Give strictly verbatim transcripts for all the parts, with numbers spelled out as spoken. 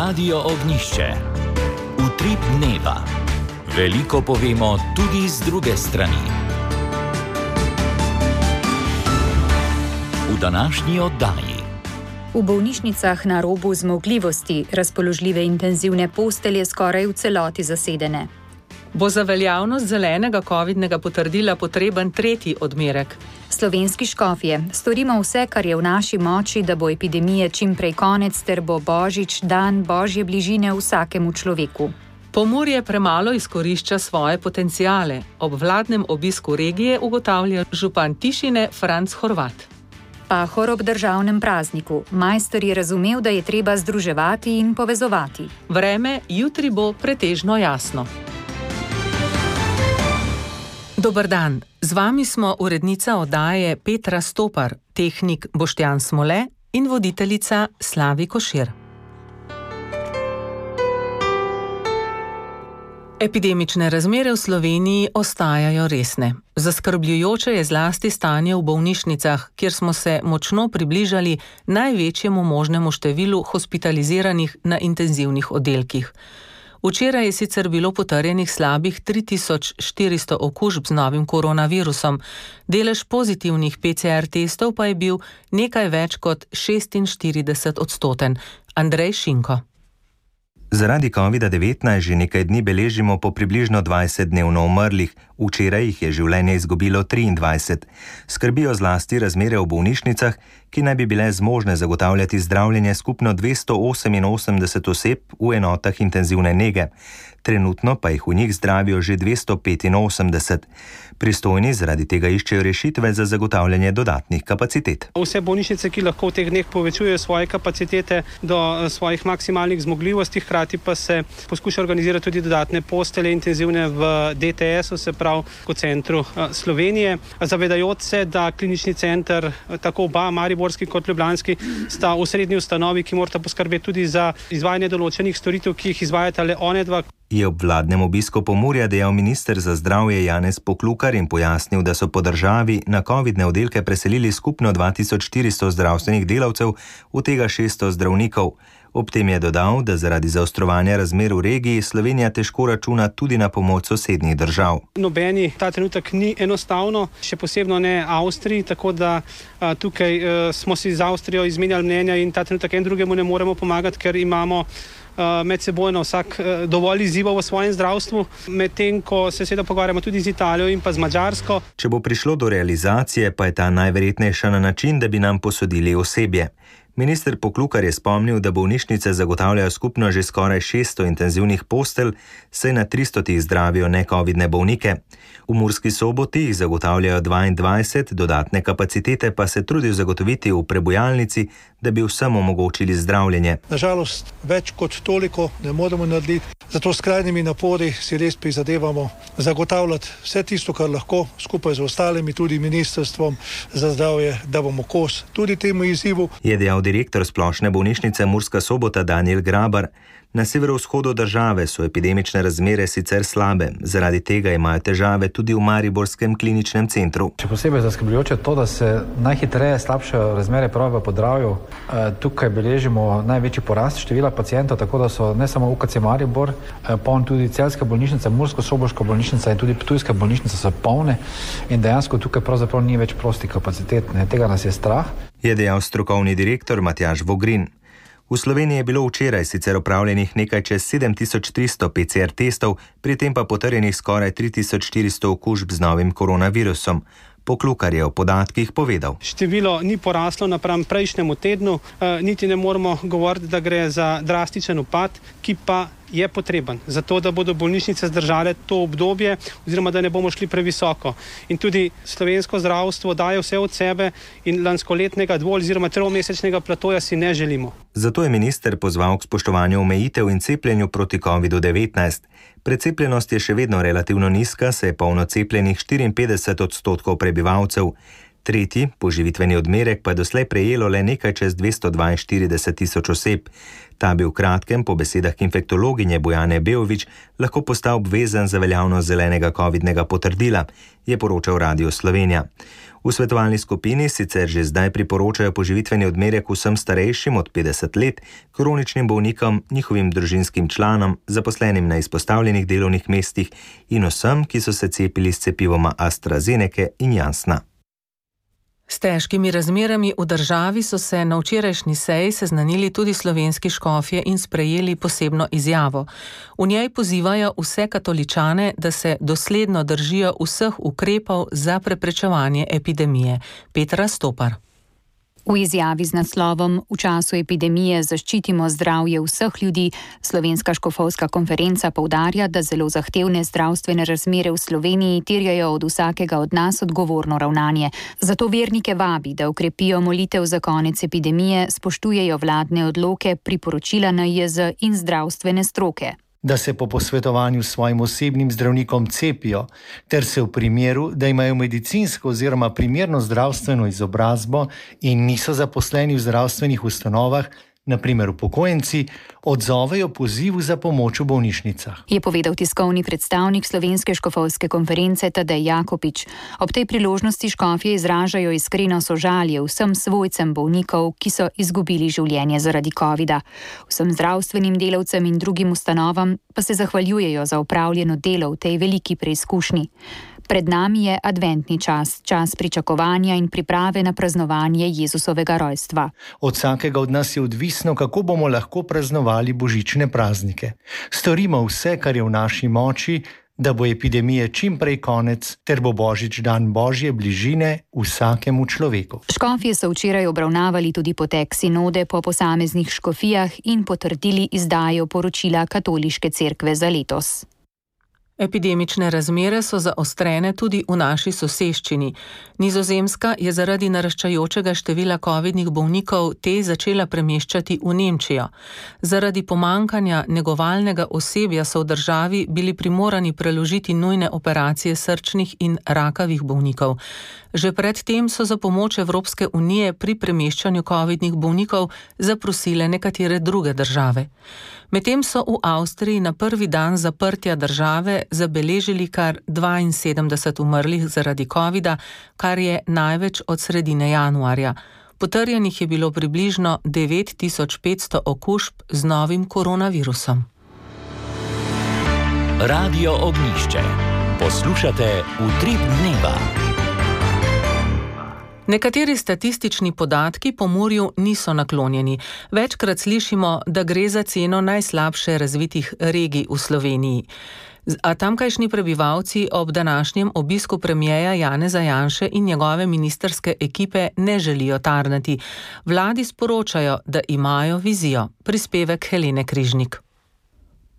Radio Ognišče. Utrip dneva. Veliko povemo tudi z druge strani. V današnji oddaji. V bolnišnicah na robu zmogljivosti razpoložljive intenzivne postelje skoraj v celoti zasedene. Bo za veljavnost zelenega covidnega potrdila potreben tretji odmerek. Slovenski škofje, storimo vse, kar je v naši moči, da bo epidemije čim prej konec, ter bo Božič dan Božje bližine vsakemu človeku. Pomurje premalo izkorišča svoje potenciale. Ob vladnem obisku regije ugotavlja župan Tišine Franc Horvat. Pahor ob državnem prazniku. Majster je razumel, da je treba združevati in povezovati. Vreme jutri bo pretežno jasno. Dober dan, z vami smo urednica oddaje Petra Stopar, tehnik Boštjan Smole in voditeljica Slavi Košir. Epidemične razmere v Sloveniji ostajajo resne. Zaskrbljujoče je zlasti stanje v bolnišnicah, kjer smo se močno približali največjemu možnemu številu hospitaliziranih na intenzivnih oddelkih. Včeraj je sicer bilo potrjenih slabih tri tisoč štiristo okužb z novim koronavirusom, delež pozitivnih P C R testov pa je bil nekaj več kot šestinštirideset odstoten. Andrej Šinko. Zaradi covida devetnajst že nekaj dni beležimo po približno dvajset dnevno umrlih, včeraj jih je življenje izgubilo triindvajset. Skrbijo zlasti razmere v bolnišnicah, ki naj bi bile zmožne zagotavljati zdravljenje skupno dvesto oseminosemdeset oseb v enotah intenzivne nege. Trenutno pa jih v njih zdravijo že dvesto petinosemdeset. Pristojni zaradi tega iščejo rešitve za zagotavljanje dodatnih kapacitet. Vse bolnišnice, ki lahko v teh dneh povečujejo svoje kapacitete do svojih maksimalnih zmogljivosti, hkrati pa se poskuša organizirati tudi dodatne postelje intenzivne v D T S-u, se pravi v centru Slovenije. Zavedajoč se, da klinični center, tako oba, mariborski kot ljubljanski, sta v srednji ustanovi, ki morata poskrbeti tudi za izvajanje določenih storitev, ki jih izvajata le one dva. Je ob vladnem obisku Pomurja dejal minister za zdravje Janez Poklukar in pojasnil, da so po državi na covidne oddelke preselili skupno dva tisoč štiristo zdravstvenih delavcev, od tega šeststo zdravnikov. Ob tem je dodal, da zaradi zaostrovanja razmer v regiji Slovenija težko računa tudi na pomoč sosednjih držav. Nobeni ta trenutek ni enostavno, še posebno ne Avstriji, tako da a, tukaj a, smo si z Avstrijo izmenjali mnenja in ta trenutek en drugemu ne moremo pomagati, ker imamo med sebojno vsak dovolj izzivov v svojem zdravstvu, medtem ko se seveda pogovarjamo tudi z Italijo in pa z Madžarsko. Če bo prišlo do realizacije, pa je ta najverjetnejša na način, da bi nam posodili osebje. Minister Poklukar je spomnil, da bolnišnice zagotavljajo skupno že skoraj šeststo intenzivnih postelj, saj na tristotih zdravijo necovidne bolnike. V Murski Soboti jih zagotavljajo dvaindvajset, dodatne kapacitete pa se trudijo zagotoviti v prebujalnici, da bi vsem omogočili zdravljenje. Nažalost, več kot toliko ne moremo narediti, zato s skrajnimi napori si res prizadevamo zagotavljati vse tisto, kar lahko, skupaj z ostalimi, tudi ministrstvom za zdravje, da bomo kos tudi temu izzivu. Je dejal direktor splošne bolnišnice Murska Sobota Danijel Grabar. Na severovzhodu države so epidemične razmere sicer slabe, zaradi tega imajo težave tudi v mariborskem kliničnem centru. Še posebej zaskrbljujoče je to, da se najhitreje slabšajo razmere prav v Podravju. Tukaj beležimo največji porast števila pacientov, tako da so ne samo U K C Maribor, poln tudi Celjska bolnišnica, Mursko-Soboška bolnišnica in tudi Ptujska bolnišnica so polne in dejansko tukaj pravzaprav ni več prostih kapacitet. Tega nas je strah. Je dejal strokovni direktor Matjaž Vogrin. V Sloveniji je bilo včeraj sicer opravljenih nekaj čez sedem tisoč tristo P C R testov, pri tem pa potrjenih skoraj tri tisoč štiristo okužb z novim koronavirusom. Poklukar je o podatkih povedal. Število ni poraslo napram prejšnjemu tednu, niti ne moremo govoriti, da gre za drastičen upad, ki pa je potreben, zato da bodo bolnišnice zdržale to obdobje oziroma da ne bomo šli previsoko. In tudi slovensko zdravstvo daje vse od sebe in lanskoletnega dvo- oziroma tromesečnega platoja si ne želimo. Zato je minister pozval k spoštovanju omejitev in cepljenju proti covidu devetnajst. Precepljenost je še vedno relativno nizka, saj je polno cepljenih štiriinpetdeset odstotkov prebivalcev. Tretji, poživitveni odmerek, pa je doslej prejelo le nekaj čez dvesto dvainštirideset tisoč oseb. Ta bi v kratkem, po besedah infektologinje Bojane Beović, lahko postal obvezen za veljavnost zelenega covidnega potrdila, je poročal Radio Slovenija. V svetovalni skupini sicer že zdaj priporočajo poživitveni odmerek vsem starejšim od petdeset let, kroničnim bolnikom, njihovim družinskim članom, zaposlenim na izpostavljenih delovnih mestih in vsem, ki so se cepili s cepivoma AstraZeneca in Janssena. S težkimi razmerami v državi so se na včerajšnji seji seznanili tudi slovenski škofje in sprejeli posebno izjavo. V njej pozivajo vse katoličane, da se dosledno držijo vseh ukrepov za preprečevanje epidemije. Petra Stopar. V izjavi z naslovom V času epidemije zaščitimo zdravje vseh ljudi Slovenska škofovska konferenca poudarja, da zelo zahtevne zdravstvene razmere v Sloveniji terjajo od vsakega od nas odgovorno ravnanje. Zato vernike vabi, da ukrepijo molitev za konec epidemije, spoštujejo vladne odloke, priporočila N I J Z in zdravstvene stroke. Da se po posvetovanju s svojim osebnim zdravnikom cepijo, ter se v primeru, da imajo medicinsko oziroma primerno zdravstveno izobrazbo in niso zaposleni v zdravstvenih ustanovah, na primer upokojenci, odzovejo pozivu za pomoč v bolnišnicah. Je povedal tiskovni predstavnik Slovenske škofovske konference Tadej Jakopič. Ob tej priložnosti škofje izražajo iskreno sožalje vsem svojcem bolnikov, ki so izgubili življenje zaradi covida. Vsem zdravstvenim delavcem in drugim ustanovam pa se zahvaljujejo za opravljeno delo v tej veliki preizkušnji. Pred nami je adventni čas, čas pričakovanja in priprave na praznovanje Jezusovega rojstva. Od vsakega od nas je odvisno, kako bomo lahko praznovali božične praznike. Storimo vse, kar je v naši moči, da bo epidemije čim prej konec, ter bo božič dan Božje bližine vsakemu človeku. Škofje so včeraj obravnavali tudi potek sinode po posameznih škofijah in potrdili izdajo poročila Katoliške cerkve za letos. Epidemične razmere so zaostrene tudi v naši soseščini. Nizozemska je zaradi naraščajočega števila covidnih bolnikov te začela premeščati v Nemčijo. Zaradi pomankanja negovalnega osebja so v državi bili primorani preložiti nujne operacije srčnih in rakavih bolnikov. Že predtem so za pomoč Evropske unije pri premeščanju covidnih bolnikov zaprosile nekatere druge države. Medtem so v Avstriji na prvi dan zaprtja države zabeležili kar dvainsedemdeset umrlih zaradi covida, kar je največ od sredine januarja. Potrjenih je bilo približno devet tisoč petsto okužb z novim koronavirusom. Radio Ognjišče. Poslušate Utrip dneva. Nekateri statistični podatki Pomurju niso naklonjeni. Večkrat slišimo, da gre za ceno najslabše razvitih regij v Sloveniji. A tamkajšnji prebivalci ob današnjem obisku premierja Janeza Janše in njegove ministrske ekipe ne želijo tarnati. Vladi sporočajo, da imajo vizijo. Prispevek Helene Križnik.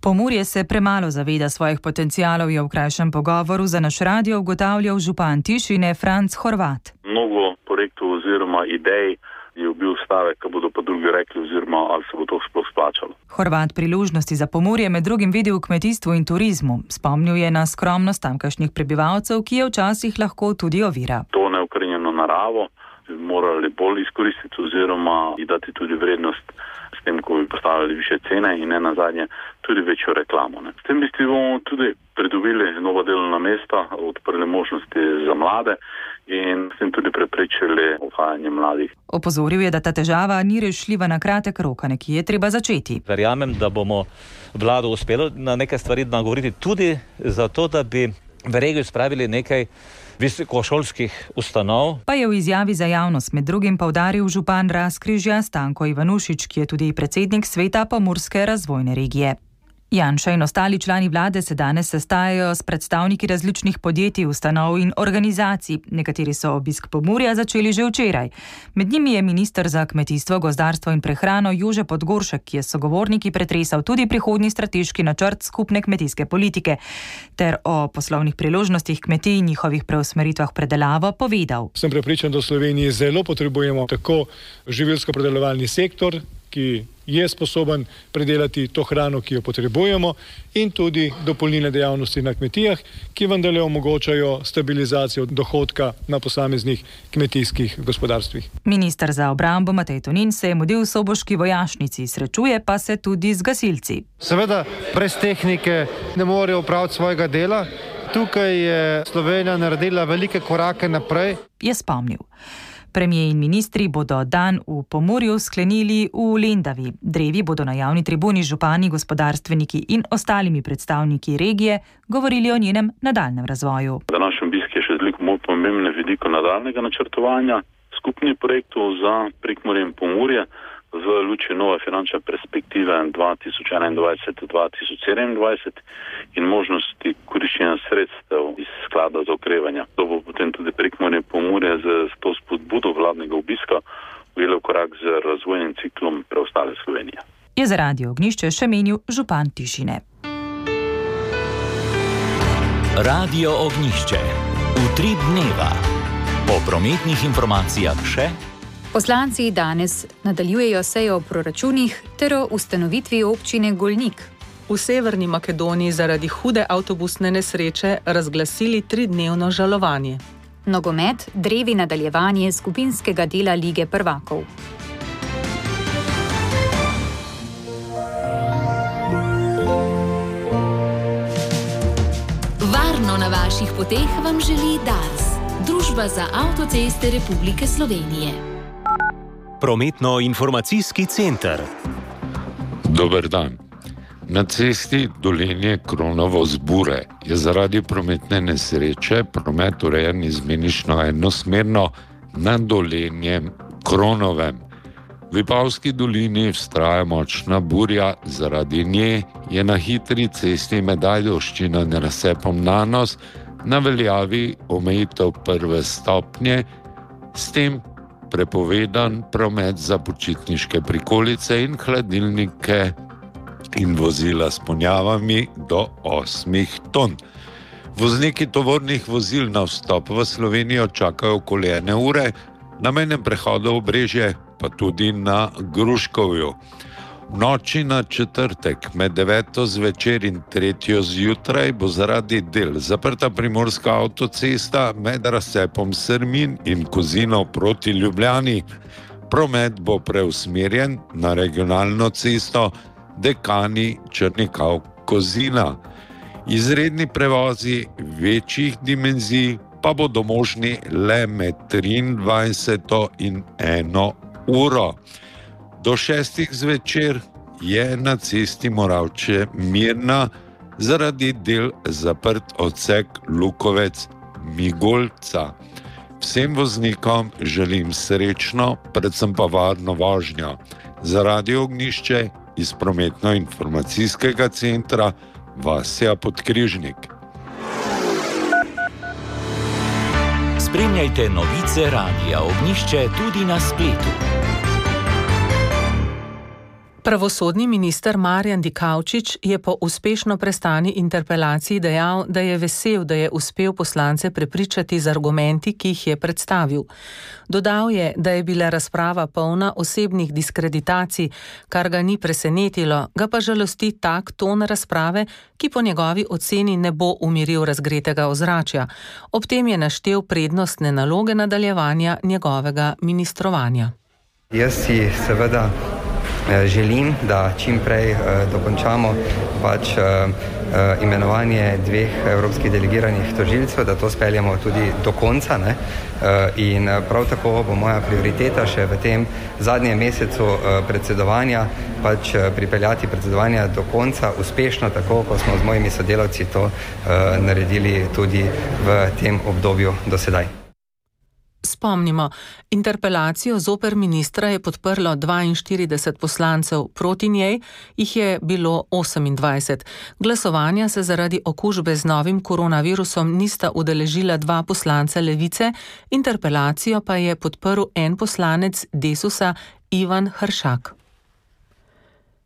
Pomurje se premalo zaveda svojih potencialov, je v krajšem pogovoru za naš radio ugotavljal župan Tišine Franc Horvat. Mnogo projektov oziroma idej je bil stavek, ko bodo pa drugi rekli oziroma ali se bo to sploh splačalo. Horvat priložnosti za Pomurje med drugim vidi v kmetijstvu in turizmu. Spomnil je na skromnost tamkajšnjih prebivalcev, ki je včasih lahko tudi ovira. To neukrenjeno naravo bi morali bolj izkoristiti oziroma ji dati tudi vrednost s tem, ko bi postavili više cene in ne nazadnje tudi večjo reklamo. Ne. S tem bi bomo tudi pridobili nova delovna mesta, odprli možnosti za mlade in s tem tudi preprečili odhajanje mladih. Opozoril je, da ta težava ni rešljiva na kratek rok, a nekje je treba začeti. Verjamem, da bomo vlado uspelo na nekaj stvari nagovoriti tudi zato, da bi v regijo spravili nekaj visokošolskih ustanov. Pa je v izjavi za javnost med drugim poudaril župan Razkrižja Stanko Ivanušič, ki je tudi predsednik sveta Pomurske razvojne regije. Janša in ostali člani vlade se danes sestajajo s predstavniki različnih podjetij, ustanov in organizacij. Nekateri so obisk Pomurja začeli že včeraj. Med njimi je minister za kmetijstvo, gozdarstvo in prehrano Jože Podgoršek, ki je s sogovorniki pretresal tudi prihodnji strateški načrt skupne kmetijske politike, ter o poslovnih priložnostih kmetij in njihovih preusmeritvah predelavo povedal. Sem prepričan, da v Sloveniji zelo potrebujemo tako živilsko-predelovalni sektor, ki je sposoben predelati to hrano, ki jo potrebujemo, in tudi dopolnilne dejavnosti na kmetijah, ki vendarle omogočajo stabilizacijo dohodka na posameznih kmetijskih gospodarstvih. Minister za obrambo Matej Tonin se je mudil v soboški vojašnici, srečuje pa se tudi z gasilci. Seveda, brez tehnike ne morejo opraviti svojega dela. Tukaj je Slovenija naredila velike korake naprej. Je spomnil. Premijer in ministri bodo dan v Pomurju sklenili v Lendavi. Drevi bodo na javni tribuni župani, gospodarstveniki in ostalimi predstavniki regije govorili o njenem nadaljnem razvoju. Današnji obisk je še veliko bolj pomembne vidiko nadaljnega načrtovanja skupnih projektov za Prekmurje in Pomurje v luči nove finančne perspektive dva tisoč enaindvajset do dva tisoč sedemindvajset in možnosti koriščenja sredstev iz sklada za okrevanje. To bo potem tudi Prekmurje in Pomurje z to spodbudo vladnega obiska ujelo korak z razvojnim ciklom preostale Slovenije. Je za Radio Ognjišče še menil župan Tišine. Radio Ognjišče. Utrip dneva. Po prometnih informacijah še. Poslanci danes nadaljujejo sejo o proračunih ter o ustanovitvi občine Golnik. V Severni Makedoniji zaradi hude avtobusne nesreče razglasili tridnevno žalovanje. Nogomet, drevi nadaljevanje skupinskega dela Lige prvakov. Varno na vaših poteh vam želi Dars, Družba za avtoceste Republike Slovenije. Prometno-informacijski center. Dober dan. Na cesti Dolenje-Kronovo-Zbure je zaradi prometne nesreče promet urejen izmenično enosmerno na Dolenjem Kronovem. V Vipavski dolini vztraja močna burja, zaradi nje je na hitri cesti med Ajdovščino in razcepom Nanos na veljavi omejitev prve stopnje, s tem prepovedan promet za počitniške prikolice in hladilnike in vozila s ponjavami do osmih ton. Vozniki tovornih vozil na vstop v Slovenijo čakajo okoli ene ure, na mejnem prehodu Obrežje pa tudi na Gruškovju. V noči na četrtek med deveto zvečer in tretjo zjutraj bo zaradi del zaprta primorska avtocesta med razcepom Srmin in Kozinov proti Ljubljani. Promet bo preusmerjen na regionalno cesto Dekani Črnikav-Kozina. Izredni prevozi večjih dimenzij pa bodo možni le med triindvajseto in eno uro. Do šestih zvečer je na cesti Moravče-Mirna zaradi del zaprt odsek Lukovec-Migolca. Vsem voznikom želim srečno, predvsem pa varno vožnjo. Za Radio Ognjišče iz prometno-informacijskega centra Vasja Podkrižnik. Spremljajte novice Radia Ognjišče tudi na spletu. Pravosodni minister Marjan Dikaučič je po uspešno prestani interpelaciji dejal, da je vesel, da je uspel poslance prepričati z argumenti, ki jih je predstavil. Dodal je, da je bila razprava polna osebnih diskreditacij, kar ga ni presenetilo, ga pa žalosti tak ton razprave, ki po njegovi oceni ne bo umiril razgretega ozračja. Ob tem je naštel prednostne naloge nadaljevanja njegovega ministrovanja. Jaz si seveda želim, da čim prej uh, dokončamo pač uh, uh, imenovanje dveh evropskih delegiranih tožilcev, da to speljamo tudi do konca, ne? Uh, in prav tako bo moja prioriteta še v tem zadnjem mesecu uh, predsedovanja pač uh, pripeljati predsedovanja do konca uspešno, tako kot smo z mojimi sodelavci to uh, naredili tudi v tem obdobju do sedaj. Spomnimo, interpelacijo zoper ministra je podprlo dvainštirideset poslancev, proti njej jih je bilo osemindvajset. Glasovanja se zaradi okužbe z novim koronavirusom nista udeležila dva poslanca Levice, interpelacijo pa je podprl en poslanec Desusa Ivan Hršak.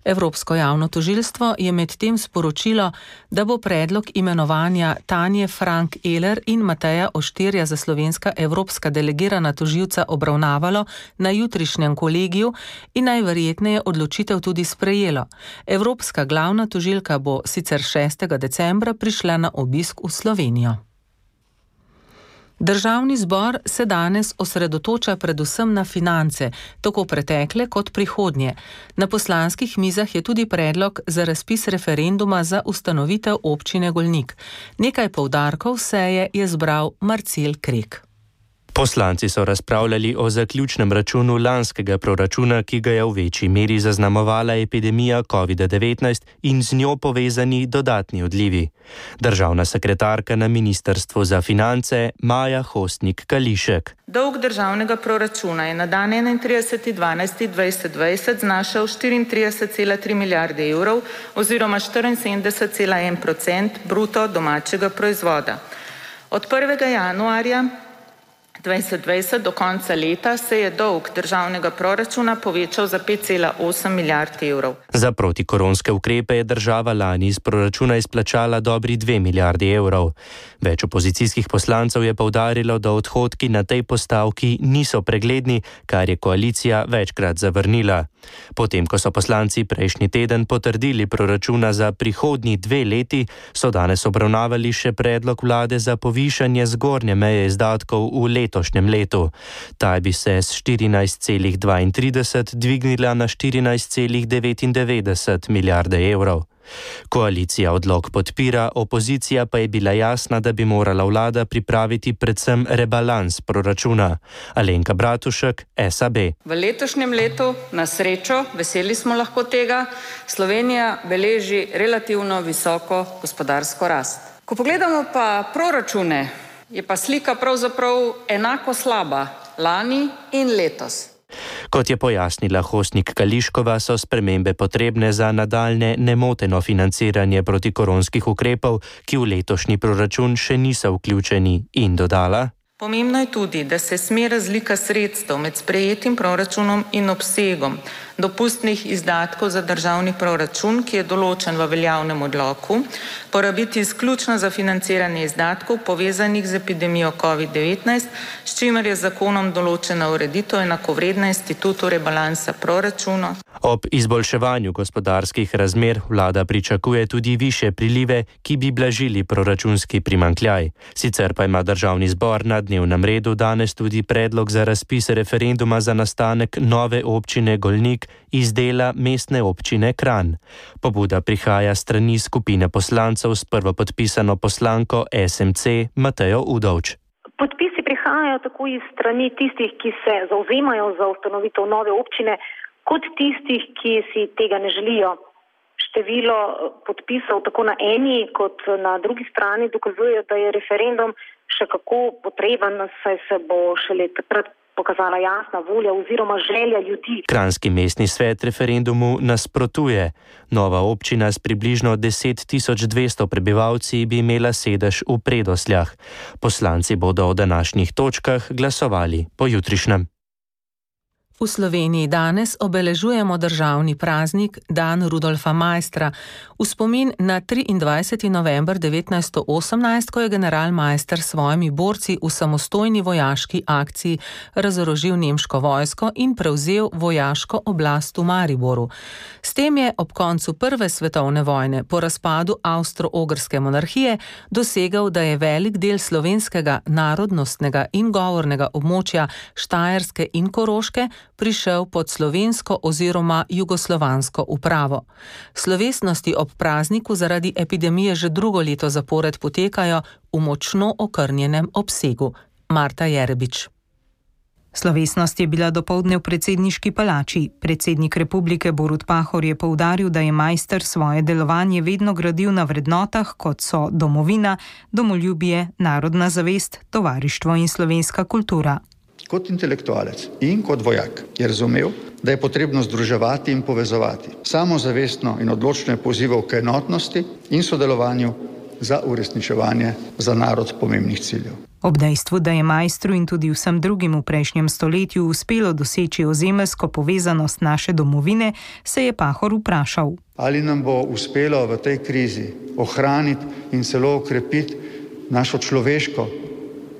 Evropsko javno tožilstvo je medtem sporočilo, da bo predlog imenovanja Tanje Frank Eler in Mateja Oštirja za slovenska evropska delegirana tožilca obravnavalo na jutrišnjem kolegiju in najverjetneje odločitev tudi sprejelo. Evropska glavna tožilka bo sicer šestega decembra prišla na obisk v Slovenijo. Državni zbor se danes osredotoča predvsem na finance, tako pretekle kot prihodnje. Na poslanskih mizah je tudi predlog za razpis referenduma za ustanovitev občine Golnik. Nekaj poudarkov seje je zbral Marcel Krek. Poslanci so razpravljali o zaključnem računu lanskega proračuna, ki ga je v večji meri zaznamovala epidemija covid devetnajst in z njo povezani dodatni odlivi. Državna sekretarka na Ministrstvu za finance Maja Hostnik-Kališek. Dolg državnega proračuna je na dan enaintrideseti dvanajsti dvajset dvajset znašal štiriintrideset cela tri milijarde evrov oziroma štiriinsedemdeset cela en procent bruto domačega proizvoda. Od prvega januarja dvajset dvajset do konca leta se je dolg državnega proračuna povečal za pet cela osem milijard evrov. Za protikoronske ukrepe je država lani iz proračuna izplačala dobri dve milijardi evrov. Več opozicijskih poslancev je poudarilo, da odhodki na tej postavki niso pregledni, kar je koalicija večkrat zavrnila. Potem, ko so poslanci prejšnji teden potrdili proračuna za prihodnji dve leti, so danes obravnavali še predlog vlade za povišanje zgornje meje izdatkov v letošnjem letu. Ta bi se s štirinajst cela dvaintrideset dvignila na štirinajst cela devetindevetdeset milijarde evrov. Koalicija odlok podpira, opozicija pa je bila jasna, da bi morala vlada pripraviti predvsem rebalans proračuna. Alenka Bratušek, S A B. V letošnjem letu, na srečo, veseli smo lahko tega, Slovenija beleži relativno visoko gospodarsko rast. Ko pogledamo pa proračune, je pa slika pravzaprav enako slaba lani in letos. Kot je pojasnila Hostnik-Kališkova, so spremembe potrebne za nadaljne nemoteno financiranje protikoronskih ukrepov, ki v letošnji proračun še niso vključeni, in dodala: Pomembno je tudi, da se sme razlika sredstev med sprejetim proračunom in obsegom dopustnih izdatkov za državni proračun, ki je določen v veljavnem odloku, porabiti izključno za financiranje izdatkov povezanih z epidemijo covid devetnajst, s čimer je zakonom določena ureditev enakovredna institutu rebalansa proračuna. Ob izboljševanju gospodarskih razmer vlada pričakuje tudi višje prilive, ki bi blažili proračunski primanjkljaj. Sicer pa ima državni zbor na dnevnem redu danes tudi predlog za razpis referenduma za nastanek nove občine Golnik iz dela mestne občine Kranj. Pobuda prihaja strani skupine poslancev s prvopodpisano poslanko S M C Matejo Udovč. Podpisi prihajajo tako iz strani tistih, ki se zauzemajo za ustanovitev nove občine, kot tistih, ki si tega ne želijo. Število podpisov tako na eni kot na drugi strani dokazuje, da je referendum še kako potreben, saj se bo šele takrat pokazala jasna volja oziroma želja ljudi. Kranjski mestni svet referendumu nasprotuje. Nova občina s približno deset tisoč dvesto prebivalci bi imela sedež v Predosljah. Poslanci bodo o današnjih točkah glasovali pojutrišnjem. V Sloveniji danes obeležujemo državni praznik Dan Rudolfa Maistra v spomin na triindvajseti november devetnajststo osemnajst, ko je general Maister s svojimi borci v samostojni vojaški akciji razorožil nemško vojsko in prevzel vojaško oblast v Mariboru. S tem je ob koncu prve svetovne vojne po razpadu avstro-ogrske monarhije dosegel, da je velik del slovenskega narodnostnega in govornega območja Štajerske in Koroške prišel pod slovensko oziroma jugoslovansko upravo. Slovesnosti ob prazniku zaradi epidemije že drugo leto zapored potekajo v močno okrnjenem obsegu. Marta Jerebič. Slovesnost je bila dopoldne v predsedniški palači. Predsednik republike Borut Pahor je poudaril, da je Maister svoje delovanje vedno gradil na vrednotah, kot so domovina, domoljubje, narodna zavest, tovarištvo in slovenska kultura. Kot intelektualec in kot vojak je razumel, da je potrebno združevati in povezovati. Samozavestno in odločno je pozival k enotnosti in sodelovanju za uresničevanje za narod pomembnih ciljev. Ob dejstvu, da je Maistru in tudi vsem drugim v prejšnjem stoletju uspelo doseči ozemeljsko povezanost naše domovine, se je Pahor vprašal. Ali nam bo uspelo v tej krizi ohraniti in celo okrepiti našo človeško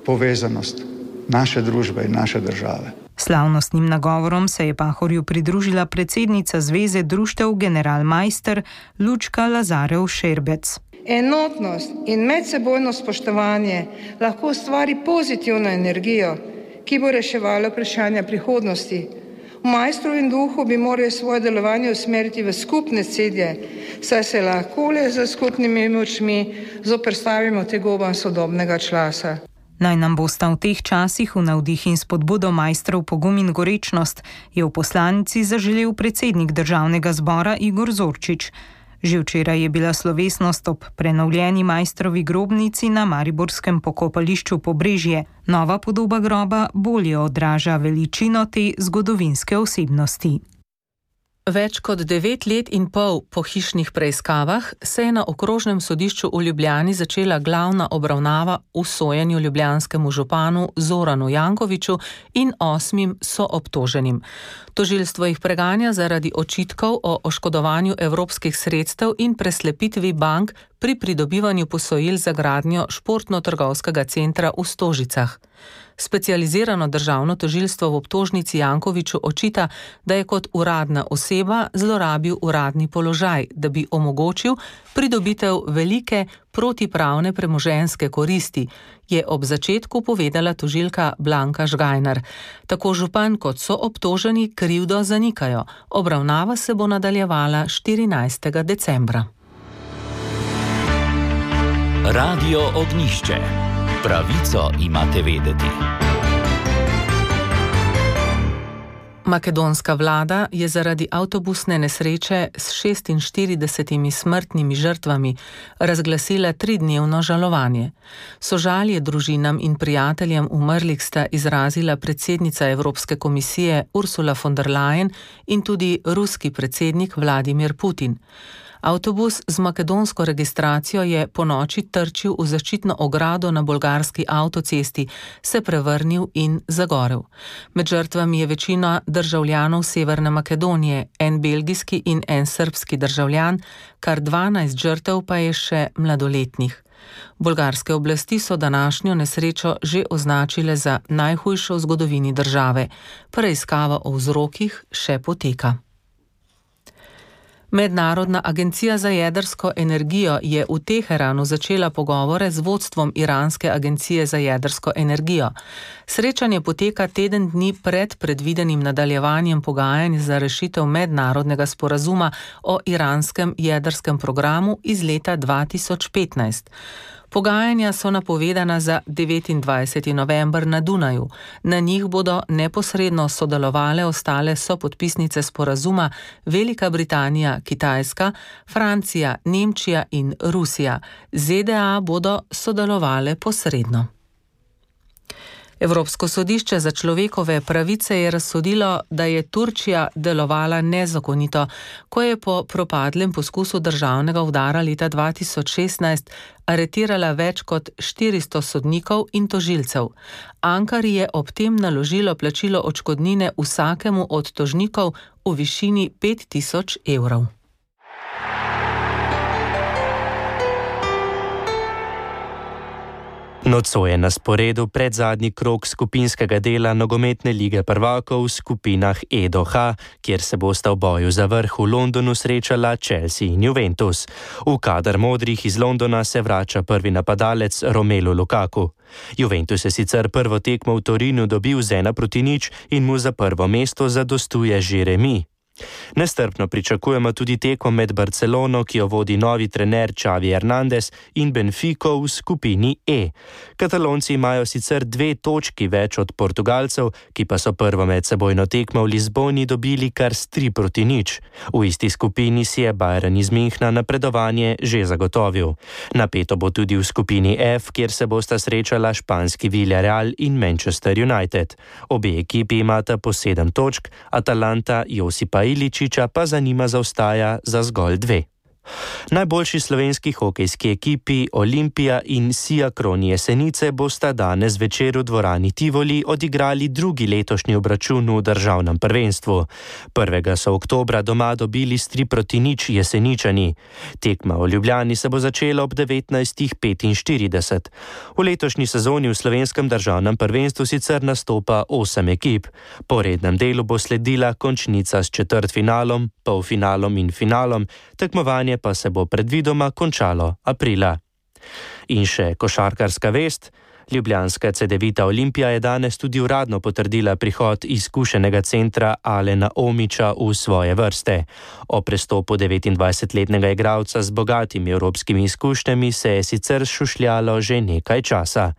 povezanost naše družbe in naše države. Slavnostnim nagovorom se je Pahorju pridružila predsednica Zveze društev General Maister Lučka Lazarev Šerbec. Enotnost in medsebojno spoštovanje lahko ustvari pozitivno energijo, ki bo reševala vprašanja prihodnosti. V Maistrovem duhu bi morali svoje delovanje usmeriti v skupne cilje, saj se lahko le z skupnimi močmi zoperstavimo tegobam sodobnega časa. Naj nam bosta v teh časih v navdih in spodbudo Maistrov pogum in gorečnost, je v poslanici zaželel predsednik Državnega zbora Igor Zorčič. Že včeraj je bila slovesnost ob prenovljeni Maistrovi grobnici na mariborskem pokopališču Pobrežje. Nova podoba groba bolje odraža veličino te zgodovinske osebnosti. Več kot devet let in pol po hišnih preiskavah se je na okrožnem sodišču v Ljubljani začela glavna obravnava v sojenju ljubljanskemu županu Zoranu Jankoviću in osmim soobtoženim. Tožilstvo jih preganja zaradi očitkov o oškodovanju evropskih sredstev in preslepitvi bank pri pridobivanju posojil za gradnjo športno-trgovskega centra v Stožicah. Specializirano državno tožilstvo v obtožnici Jankoviću očita, da je kot uradna oseba zlorabil uradni položaj, da bi omogočil pridobitev velike protipravne premoženjske koristi, je ob začetku povedala tožilka Blanka Žgajnar. Tako župan kot so obtoženi krivdo zanikajo. Obravnava se bo nadaljevala štirinajstega decembra. Radio Ognjišče. Pravico imate vedeti. Makedonska vlada je zaradi avtobusne nesreče s šestinštiridesetimi smrtnimi žrtvami razglasila tridnevno žalovanje. Sožalje družinam in prijateljem umrlih sta izrazila predsednica Evropske komisije Ursula von der Leyen in tudi ruski predsednik Vladimir Putin. Avtobus z makedonsko registracijo je po noči trčil v zaščitno ogrado na bolgarski avtocesti, se prevrnil in zagorel. Med žrtvami je večina državljanov Severne Makedonije, en belgijski in en srbski državljan, kar dvanajst žrtev pa je še mladoletnih. Bolgarske oblasti so današnjo nesrečo že označile za najhujšo v zgodovini države. Preiskava o vzrokih še poteka. Mednarodna agencija za jedrsko energijo je v Teheranu začela pogovore z vodstvom iranske agencije za jedrsko energijo. Srečanje poteka teden dni pred predvidenim nadaljevanjem pogajanj za rešitev mednarodnega sporazuma o iranskem jedrskem programu iz leta dva tisoč petnajst. Pogajanja so napovedana za devetindvajseti november na Dunaju. Na njih bodo neposredno sodelovale ostale sopodpisnice sporazuma Velika Britanija, Kitajska, Francija, Nemčija in Rusija. Z D A bodo sodelovale posredno. Evropsko sodišče za človekove pravice je razsodilo, da je Turčija delovala nezakonito, ko je po propadlem poskusu državnega udara leta dva tisoč šestnajst aretirala več kot štiristo sodnikov in tožilcev. Ankari je ob tem naložilo plačilo odškodnine vsakemu od tožnikov v višini pet tisoč evrov. Nocoj je na sporedu predzadnji krog skupinskega dela nogometne lige prvakov v skupinah E do H, kjer se bosta v boju za vrh v Londonu srečala Chelsea in Juventus. V kader modrih iz Londona se vrača prvi napadalec Romelu Lukaku. Juventus je sicer prvo tekmo v Torinu dobil z ena proti nič in mu za prvo mesto zadostuje že remi. Nestrpno pričakujemo tudi tekmo med Barcelono, ki jo vodi novi trener Xavi Hernandez, in Benfico v skupini E. Katalonci imajo sicer dve točki več od Portugalcev, ki pa so prvo medsebojno tekmo v Lizboni dobili kar s tri proti nič. V isti skupini si je Bayern iz Münchna napredovanje že zagotovil. Napeto bo tudi v skupini F, kjer se bosta srečala španski Villarreal in Manchester United. Obe ekipi imata po sedem točk, Atalanta Josipa Iličiča pa za njima zaostaja za zgolj dve. Najboljši slovenski hokejski ekipi Olimpija in Siakron Jesenice bosta danes večer v dvorani Tivoli odigrali drugi letošnji obračun v državnem prvenstvu. Prvega so oktobra doma dobili s tri proti nič Jeseničani. Tekma v Ljubljani se bo začela ob devetnajst petinštirideset. V letošnji sezoni v slovenskem državnem prvenstvu sicer nastopa osem ekip. Po rednem delu bo sledila končnica s četrtfinalom, polfinalom in finalom, tekmovanje pa se bo predvidoma končalo aprila. In še košarkarska vest. Ljubljanska Cedevita Olimpija je danes tudi uradno potrdila prihod izkušenega centra Alena Omića v svoje vrste. O prestopu devetindvajsetletnega igralca z bogatimi evropskimi izkušnjami se je sicer šušljalo že nekaj časa.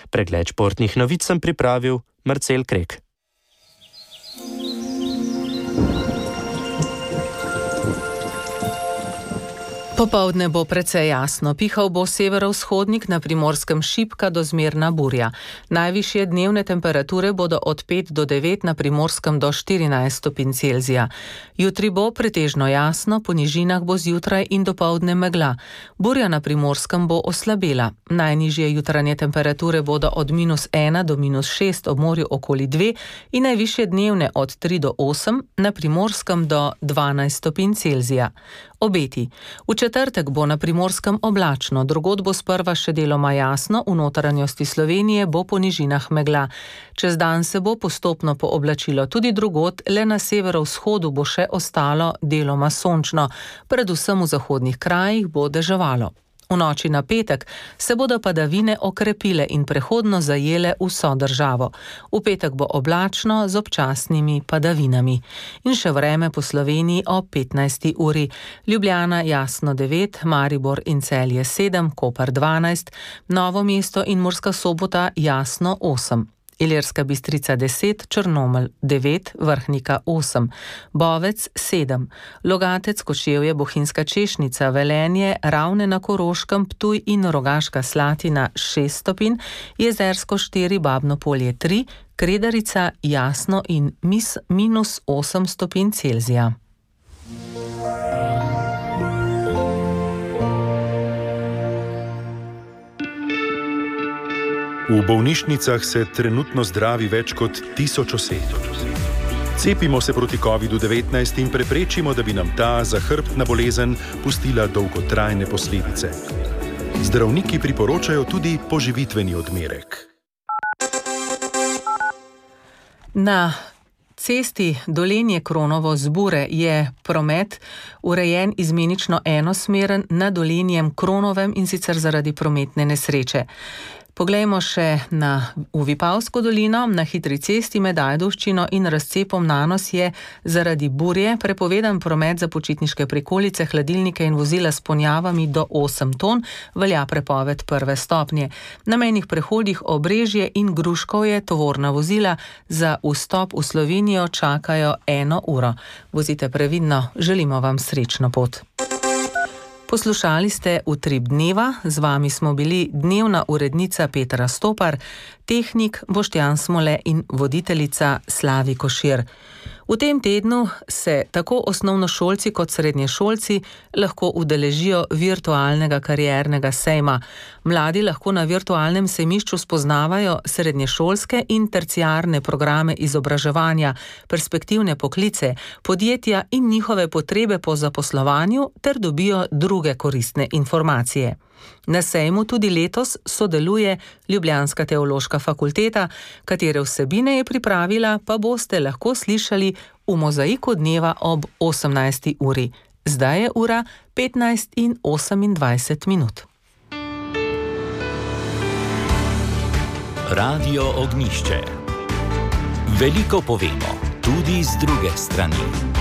Pregled športnih novic sem pripravil Marcel Krek. Popoldne bo precej jasno, pihal bo severovzhodnik, na Primorskem šibka do zmerna burja. Najvišje dnevne temperature bodo od pet do devet, na Primorskem do štirinajst stopinj Celzija. Jutri bo pretežno jasno, po nižinah bo zjutraj in dopoldne megla. Burja na Primorskem bo oslabela. Najnižje jutranje temperature bodo od minus ena do minus šest, ob morju okoli dve in najvišje dnevne od tri do osem, na Primorskem do dvanajst stopinj Celzija. Obeti. V četrtek bo na Primorskem oblačno, drugod bo sprva še deloma jasno, v notranjosti Slovenije bo po nižinah megla. Čez dan se bo postopno pooblačilo tudi drugod, le na severovzhodu bo še ostalo deloma sončno, predvsem v zahodnih krajih bo deževalo. V noči na petek se bodo padavine okrepile in prehodno zajele vso državo. V petek bo oblačno z občasnimi padavinami. In še vreme po Sloveniji o petnajsti uri. Ljubljana jasno devet, Maribor in Celje sedem, Koper dvanajst, Novo mesto in Murska Sobota jasno osem. Ilirska Bistrica deset, Črnomelj devet, Vrhnika osem, Bovec sedem, Logatec, Kočevje, Bohinjska Češnica, Velenje, Ravne na Koroškem, Ptuj in Rogaška Slatina šest stopinj, Jezersko štiri, Babno Polje tri, Kredarica jasno in mis, minus osem stopinj Celzija. V bolnišnicah se trenutno zdravi več kot tisoč oseb. Cepimo se proti kovidu devetnajst in preprečimo, da bi nam ta zahrbtna bolezen pustila dolgotrajne posledice. Zdravniki priporočajo tudi poživitveni odmerek. Na cesti Dolenje-Kronovo z Bure je promet urejen izmenično enosmeren na Dolenjem Kronovem in sicer zaradi prometne nesreče. Poglejmo še na v Vipavsko dolino. Na hitri cesti med Ajdovščino in razcepom Nanos je zaradi burje prepovedan promet za počitniške prikolice, hladilnike in vozila s ponjavami do osem ton, velja prepoved prve stopnje. Na mejnih prehodih Obrežje in Gruškovje tovorna vozila za vstop v Slovenijo čakajo eno uro. Vozite previdno, želimo vam srečno pot. Poslušali ste Utrip dneva, z vami smo bili dnevna urednica Petra Stopar, tehnik Boštjan Smole in voditeljica Slavi Košir. V tem tednu se tako osnovnošolci kot srednješolci lahko udeležijo virtualnega kariernega sejma. Mladi lahko na virtualnem sejmišču spoznavajo srednješolske in terciarne programe izobraževanja, perspektivne poklice, podjetja in njihove potrebe po zaposlovanju ter dobijo druge koristne informacije. Na sejmu tudi letos sodeluje Ljubljanska teološka fakulteta, katere vsebine je pripravila, pa boste lahko slišali v Mozaiku dneva ob osemnajsti uri. Zdaj je ura petnajst in osemindvajset minut. Radio Ognjišče. Veliko povemo, tudi z druge strani.